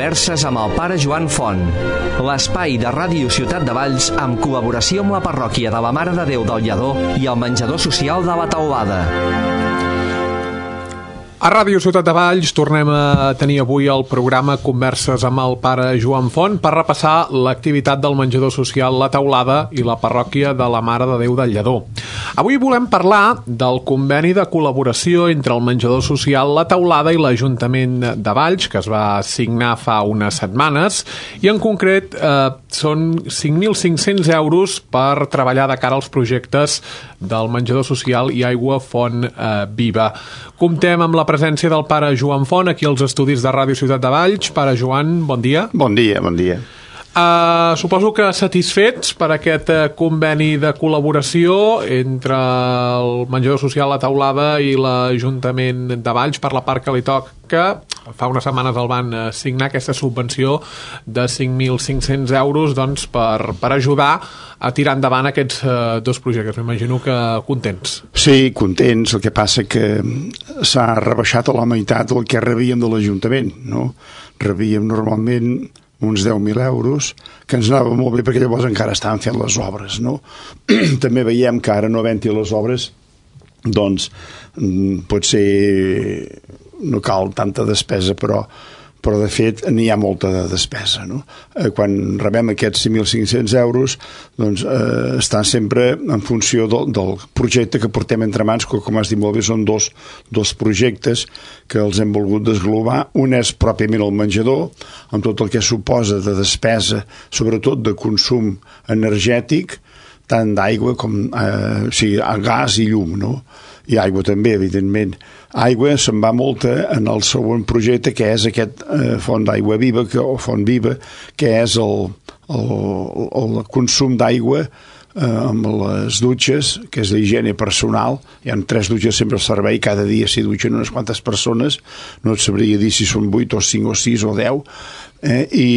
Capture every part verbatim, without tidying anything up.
Converses amb el pare Joan Font, l'espai de Ràdio Ciutat de Valls amb col·laboració amb la parròquia de la Mare de Déu del Lledó i el menjador social de la Teulada. A Ràdio Ciutat de Valls tornem a tenir avui el programa Converses amb el pare Joan Font per repassar l'activitat del menjador social La Teulada i la parròquia de la Mare de Déu del Lledó. Avui volem parlar del conveni de col·laboració entre el menjador social La Teulada i l'Ajuntament de Valls, que es va signar fa unes setmanes, i en concret eh, són cinc mil cinc-cents euros per treballar de cara als projectes del menjador social i aigua font eh, viva. Comptem amb la presència del pare Joan Font aquí als estudis de Ràdio Ciutat de Valls. Pare Joan, bon dia. Bon dia, bon dia. Uh, suposo que satisfets per aquest uh, conveni de col·laboració entre el menjador social La Teulada i l'Ajuntament de Valls per la part que li toca. Fa unes setmanes el van uh, signar aquesta subvenció de cinc mil cinc-cents euros doncs, per, per ajudar a tirar endavant aquests uh, dos projectes. M'imagino que contents. Sí, contents. El que passa que s'ha rebaixat a la meitat el que rebíem de l'Ajuntament, no? Rebíem normalment uns deu mil euros, que ens anava molt bé perquè llavors encara estaven fent les obres, no? També veiem que ara no havent-hi les obres, doncs potser no cal tanta despesa, però però de fet n'hi ha molta de despesa, no? Eh, quan rebem aquests cinc mil cinc-cents euros, doncs eh, estan sempre en funció del, del projecte que portem entre mans, que com has dit molt bé són dos, dos projectes que els hem volgut desglobar. Un és pròpiament el menjador, amb tot el que suposa de despesa, sobretot de consum energètic, tant d'aigua com eh, o sigui, gas i llum, no? I aigua també, evidentment. Aigua se'n va molta en el següent projecte, que és aquest eh, font d'aigua viva, que, o font viva, que és el, el, el consum d'aigua eh, amb les dutxes, que és l'higiene personal. Hi ha tres dutxes sempre al servei, cada dia s'hi dutxen unes quantes persones, no et sabria dir si són vuit o cinc o sis o deu, eh, i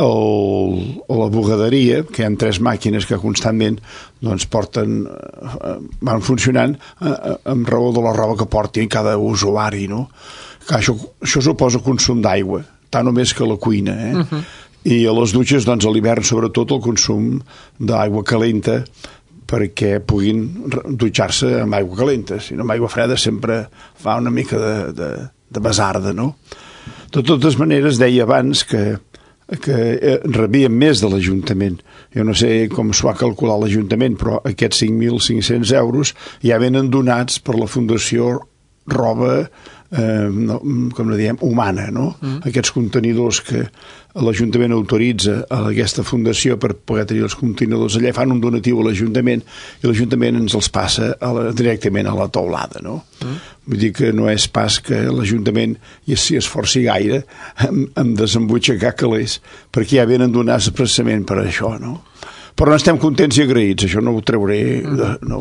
el, la bugaderia, que hi ha tres màquines que constantment doncs, porten, eh, van funcionant eh, amb raó de la roba que porti cada usuari, no? Que això, això suposa consum d'aigua, tant o més que la cuina, eh? Uh-huh. I a les dutxes, doncs, a l'hivern, sobretot, el consum d'aigua calenta perquè puguin dutxar-se amb aigua calenta. Si no, amb aigua freda sempre fa una mica de, de, de basarda, no? De totes maneres, deia abans que, que rebíem més de l'Ajuntament. Jo no sé com s'ho ha calculat l'Ajuntament, però aquests cinc mil cinc-cents euros ja venen donats per la Fundació Roba, eh, no, com la diem, humana, no? Mm. Aquests contenidors que l'Ajuntament autoritza a aquesta fundació per poder tenir els contenidors allà, fan un donatiu a l'Ajuntament i l'Ajuntament ens els passa a la, directament a la Teulada, no? Mm. Vull dir que no és pas que l'Ajuntament s'hi esforci gaire en, en desembutxacar calés, perquè ja venen donats expressament per això, no? Però estem contents i agraïts, això no ho trauré, no,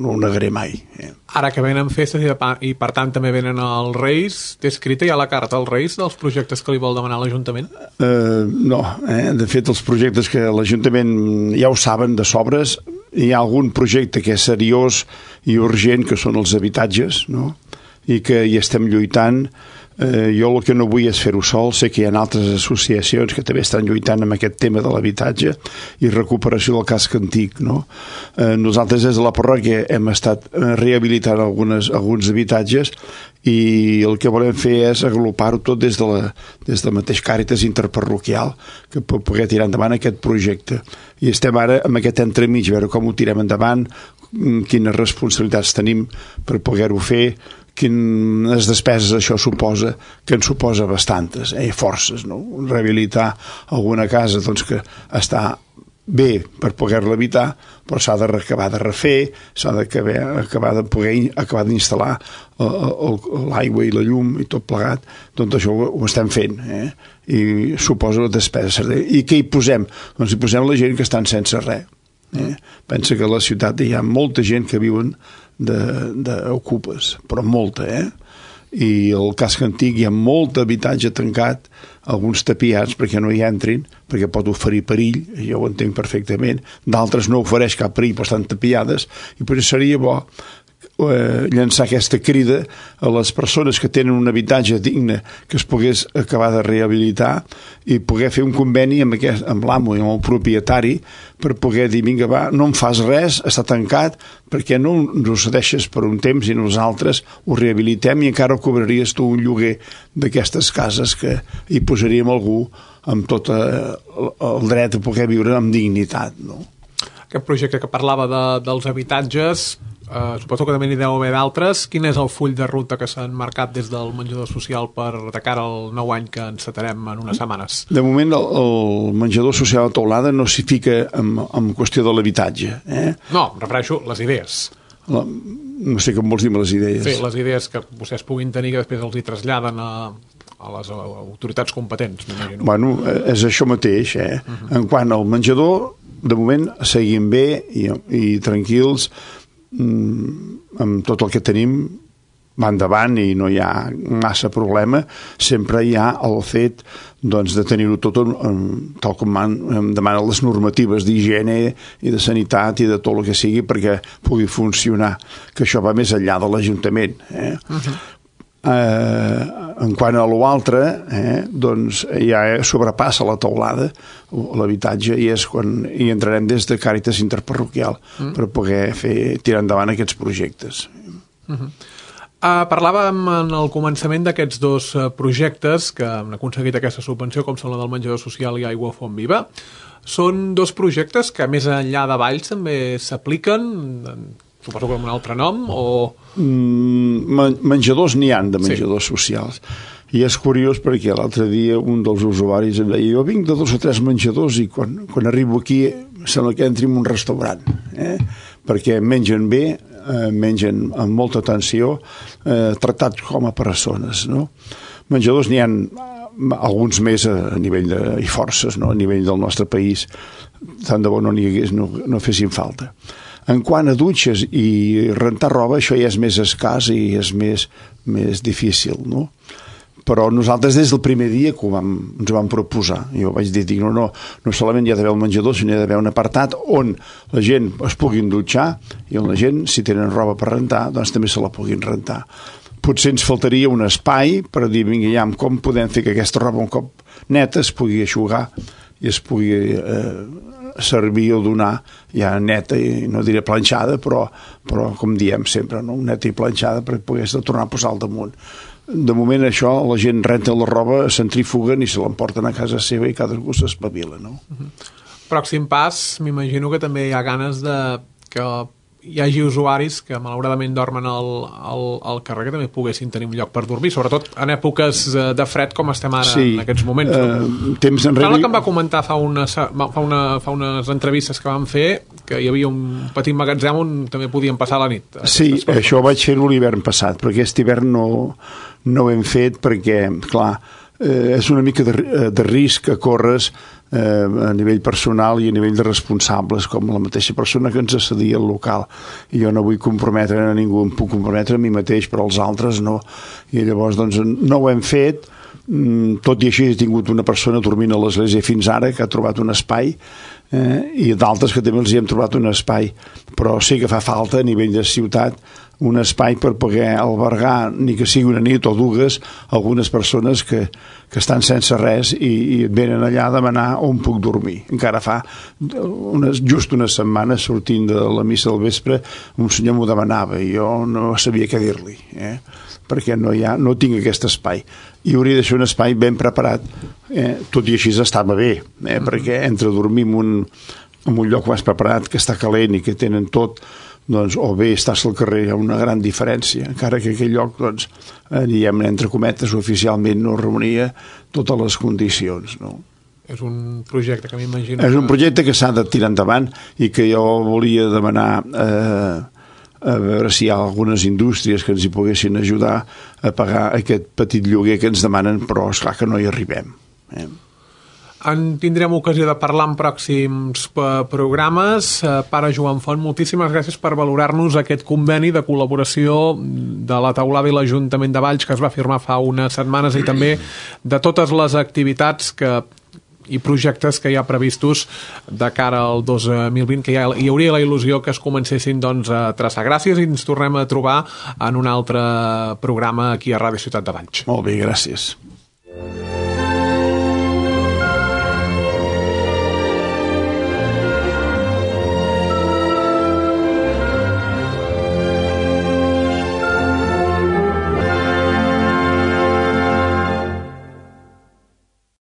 no ho negaré mai. Eh? Ara que venen festes i, i per tant també venen els Reis, té escrita ja la carta als Reis dels projectes que li vol demanar l'Ajuntament? Uh, no, eh? De fet els projectes que l'Ajuntament ja ho saben de sobres, hi ha algun projecte que és seriós i urgent, que són els habitatges, no? I que hi estem lluitant. Eh, jo el que no vull és fer-ho sol, sé que hi ha altres associacions que també estan lluitant amb aquest tema de l'habitatge i recuperació del casc antic, no? Eh, nosaltres des de la parròquia hem estat rehabilitant algunes, alguns habitatges i el que volem fer és agrupar-ho tot des de la, des de la mateix Càritas interparroquial que pot poder tirar endavant aquest projecte. I estem ara amb aquest entremig, a veure com ho tirem endavant, quines responsabilitats tenim per poder-ho fer, quines despeses això suposa, que en suposa bastantes, eh, forces, no? Rehabilitar alguna casa doncs, que està bé per poder-la habitar, però s'ha d'acabar de refer, s'ha d'acabar de poder acabar d'instal·lar l'aigua i la llum i tot plegat, doncs això ho, ho estem fent, eh? I suposa despesa. I què hi posem? Doncs hi posem la gent que estan sense res. Eh? Pensa que a la ciutat hi ha molta gent que viuen d'ocupes, però molta, eh? I al casc antic hi ha molt habitatge tancat, alguns tapiats perquè no hi entrin, perquè pot oferir perill, jo ho entenc perfectament, d'altres no ofereix cap perill, però estan tapiades, i per això seria bo eh, llançar aquesta crida a les persones que tenen un habitatge digne que es pogués acabar de rehabilitar i poder fer un conveni amb, aquest, amb l'amo i amb el propietari per poder dir, vinga, va, no em fas res, està tancat, perquè no ens ho cedeixes per un temps i nosaltres ho rehabilitem i encara cobraries tu un lloguer d'aquestes cases que hi posaríem algú amb tot el dret a poder viure amb dignitat, no? Aquest projecte que parlava de, dels habitatges, eh, suposo que també n'hi deu haver d'altres. Quin és el full de ruta que s'han marcat des del menjador social per de cara al nou any que encetarem en unes setmanes? De moment el, el menjador social a Teulada no s'hi fica en, en qüestió de l'habitatge. Eh? No, em refereixo les idees. La, no sé com vols dir les idees. Sí, les idees que vostès puguin tenir que després els hi traslladen a, a les autoritats competents, m'imagino. Bueno, és això mateix, eh? Uh-huh. En quant al menjador, de moment seguim bé i, i tranquils, mm, amb tot el que tenim va endavant i no hi ha massa problema. Sempre hi ha el fet doncs, de tenir-ho tot um, tal com man, em demanen les normatives d'higiene i de sanitat i de tot el que sigui perquè pugui funcionar, que això va més enllà de l'Ajuntament. Eh? Uh-huh. Eh, en quant a l'altre, eh, doncs ja sobrepassa la teulada, l'habitatge, i és quan hi entrarem des de Càritas Interparroquial mm. per poder fer tirar endavant aquests projectes. Uh-huh. Uh, parlàvem en el començament d'aquests dos uh, projectes que han aconseguit aquesta subvenció, com són la del menjador social i Aigua Font Viva. Són dos projectes que més enllà de Valls també s'apliquen, suposo que amb un altre nom, o... Mm, menjadors n'hi han de menjadors sí. socials. I és curiós perquè l'altre dia un dels usuaris em deia, jo vinc de dos o tres menjadors i quan, quan arribo aquí sembla que entri en un restaurant, eh? Perquè mengen bé, eh, mengen amb molta atenció, eh, tractats com a persones, no? Menjadors n'hi han alguns més a, a nivell de, i forces, no? A nivell del nostre país, tant de bo no n'hi hagués, no, no fessin falta. En quant a dutxes i rentar roba, això ja és més escàs i és més, més difícil, no? Però nosaltres des del primer dia que ho vam, ens ho vam proposar, jo vaig dir, dic, no, no, no solament hi ha d'haver un menjador, sinó hi ha d'haver un apartat on la gent es puguin dutxar i on la gent, si tenen roba per rentar, doncs també se la puguin rentar. Potser ens faltaria un espai per dir, vinga, ja, com podem fer que aquesta roba un cop neta es pugui eixugar i es pugui eh, servir o donar ja neta, i no diré planxada, però, però com diem sempre, no? Neta i planxada per poder tornar a posar al damunt. De moment això, la gent renta la roba, centrifuguen i se l'emporten a casa seva i cadascú s'espavila, no? Pròxim pas, m'imagino que també hi ha ganes de que hi hagi usuaris que malauradament dormen al, al, al carrer que també poguessin tenir un lloc per dormir, sobretot en èpoques de fred com estem ara sí, en aquests moments. Uh, temps enrere... Sembla que em va comentar fa, una, fa, una, fa unes entrevistes que vam fer que hi havia un petit magatzem on també podien passar la nit. Sí, això ho vaig fer-ho l'hivern passat, però aquest hivern no, no ho hem fet perquè, clar, eh, és una mica de, de risc que corres eh, a nivell personal i a nivell de responsables, com la mateixa persona que ens accedia al local. I jo no vull comprometre a ningú, em puc comprometre a mi mateix, però els altres no. I llavors, doncs, no ho hem fet. Tot i així he tingut una persona dormint a l'església fins ara que ha trobat un espai, eh, i d'altres que també els hi hem trobat un espai, però sí que fa falta a nivell de ciutat un espai per poder albergar, ni que sigui una nit o dues, algunes persones que, que estan sense res i, i venen allà a demanar on puc dormir. Encara fa unes, just una setmana sortint de la missa del vespre un senyor m'ho demanava i jo no sabia què dir-li, eh? Perquè no, hi ha, no tinc aquest espai i hauria de ser un espai ben preparat, eh? Tot i així estava bé, eh? Mm-hmm. Perquè entre dormir en un, en un lloc més preparat que està calent i que tenen tot, doncs, o bé estàs al carrer, hi ha una gran diferència, encara que aquell lloc, doncs, eh, diguem, entre cometes, oficialment no reunia totes les condicions, no? És un projecte que m'imagino... És un projecte que s'ha de tirar endavant i que jo volia demanar eh, a veure si hi ha algunes indústries que ens hi poguessin ajudar a pagar aquest petit lloguer que ens demanen, però esclar que no hi arribem. Eh? En tindrem ocasió de parlar en pròxims programes. Pare Joan Font, moltíssimes gràcies per valorar-nos aquest conveni de col·laboració de la Teulada i l'Ajuntament de Valls que es va firmar fa unes setmanes i també de totes les activitats que i projectes que hi ha previstos de cara al dos mil vint, que ja hi hauria la il·lusió que es comencessin doncs, a traçar. Gràcies i ens tornem a trobar en un altre programa aquí a Ràdio Ciutat de Valls. Molt bé, gràcies.